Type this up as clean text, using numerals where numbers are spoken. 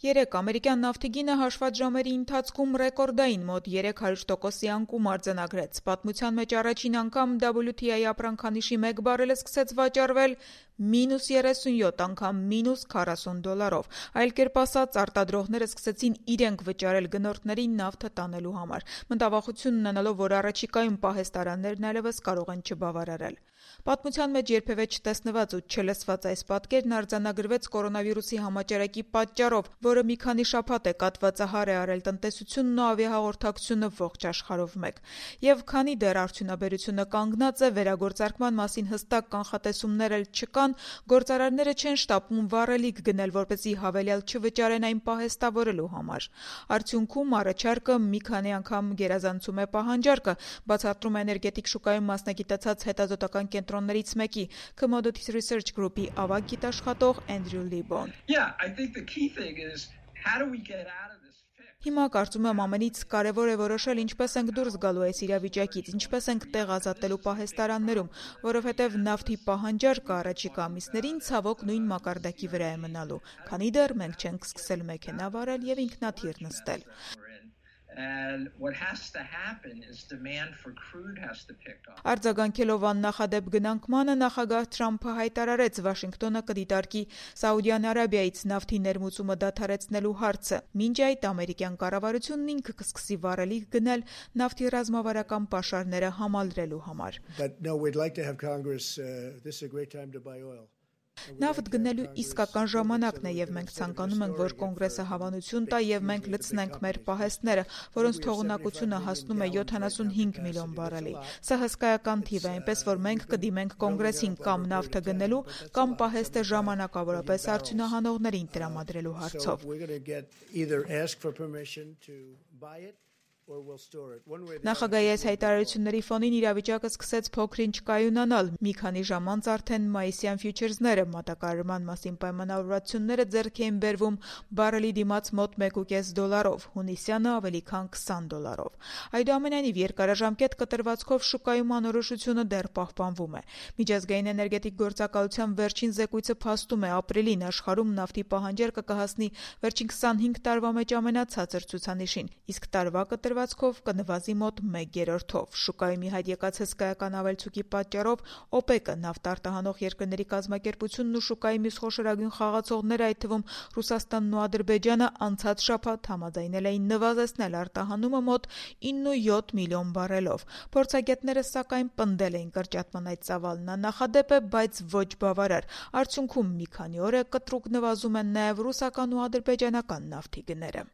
Երեկ ամերիկյան նավթի գինը հաշված ժամերի ընթացքում ռեկորդային մոտ 300%-ի անկում արձանագրեց։ Պատմության մեջ առաջին անգամ WTI ապրանքանիշի 1 բարելը սկսեց վաճառվել -37 անգամ -$40։ Այլ կերպ ասած, արտադրողները սկսեցին իրենք վճարել գնորդներին նավթը տանելու համար, մտավախություն ունենալով, որ առաջիկայում պահեստարաններն այլևս կարող են չբավարարել։ Պատմության մեջ երբևէ չտեսնված ու չլսված այս պատկերն արձանագրվեց կորոնավիրուսի համաճարակի պատճառով, որը մի քանի շաբաթ է կաթվածահար է արել տնտեսությունն ու ավիահաղորդակցությունը ողջ աշխարհով մեկ։ Եվ քանի դեռ արդյունաբերությունը կանգնած է, վերագործարկման մասին հստակ կանխատեսումներ էլ չկան, գործարարները չեն շտապում վառելիք գնել, որպեսզի հավելյալ չվճարեն այն պահեստավորելու համար։ Արդյունքում առաջարկը մի քանի անգամ գերազանցում է պահանջարկը, բացատրում է էներգետիկ շուկայում մասնագիտացած հետազոտական կենտրոններից մեկի Commodities Research Group-ի ավագ գիտաշխատող Andrew Libbon։ Հիմա կարծում եմ ամենից կարևոր է որոշել ինչպես ենք դուրս գալու այս իրավիճակից, ինչպես ենք տեղ ազատելու պահեստարաններում, որովհետև նավթի պահանջարկը առաջիկա ամիսներին ցավոք նույն մակարդակի վրա է մնալու, քանի դեռ մենք չենք սկսել մեքենա վարել եւ ինքնաթիռ նստել։ Արձագանքելով աննախադեպ գնանկմանը նախագահ Թրամփը հայտարարեց Վաշինգտոնը կդիտարկի Սաուդյան Արաբիայից նավթի ներմուծումը դադարեցնելու հարցը։ Մինչ այդ ամերիկյան կառավարությունն ինքը կսկսի վառելիք գնել նավթի ռազմավարական պաշարները համալրելու համար։ Նավթ գնելու իսկական ժամանակն է եւ մենք ցանկանում ենք, որ կոնգրեսը հավանություն տա եւ մենք լցնենք մեր պահեստները, որոնց թողունակությունը հասնում է 75 միլիոն բարելի։ Սա հսկայական թիվ է, այնպես որ մենք կդիմենք կոնգրեսին կամ նավթը գնելու, կամ պահեստը ժամանակավորապես արդյունահանողներին տրամադրելու հարցով։ Նախագահի այս հայտարարությունների ֆոնին իրավիճակը սկսեց փոքր-ինչ կայունանալ։ Մի քանի ժամ անց արդեն մայիսյան ֆյուչերսները մատակարարման մասին պայմանավորվածությունները ձեռք էին բերվում բարելի դիմաց մոտ $1.5, հունիսյանը ավելի քան $20։ Այդուամենայնիվ երկարաժամկետ կտրվածքով շուկայում անորոշությունը դեռ պահպանվում է։ Միջազգային էներգետիկ գործակալության վերջին զեկույցը փաստում է ապրիլին աշխարհում նավթի պահանջարկը կհասնի վերջին 25 տարվա մեջ ամենացածր ցուցանիշին, իսկ տարվա կտրվածքով կնվազի մոտ 1/3-ով։ Շուկայում ի հայտ եկած հսկայական ավելցուկի պատճառով OPEC-ը նավթ արտահանող երկրների կազմակերպությունն ու շուկայի մյուս խոշորագույն խաղացողները, այդ թվում Ռուսաստանն ու Ադրբեջանը, անցած շաբաթ համաձայնել էին նվազեցնել արտահանումը մոտ 9.7 միլիոն բարելով։ Փորձագետները սակայն պնդել էին կրճատման այդ ծավալն աննախադեպ է, բայց ոչ բավարար։ Արդյունքում մի քանի օր է կտրուկ նվազում են նաև ռուսական ու ադրբեջանական նավթի գները։